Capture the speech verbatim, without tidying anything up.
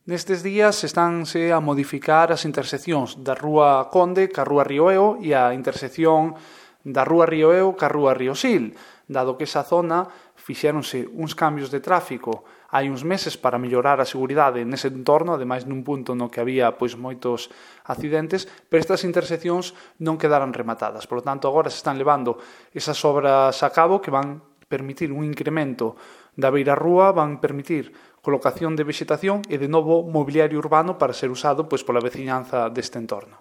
Nestes días estánse a modificar as interseccións da Rúa Conde ca Rúa Rioeo e a intersección da Rúa Rioeo ca Rúa Riosil, dado que esa zona fixéronse uns cambios de tráfico hai uns meses para mellorar a seguridade nese entorno, ademais nun punto no que había pois moitos accidentes, pero estas interseccións non quedaran rematadas. Por lo tanto, agora se están levando esas obras a cabo que van permitir un incremento da beirarrúa, van permitir colocación de vexetación e de novo mobiliario urbano para ser usado pois pola veciñanza deste entorno.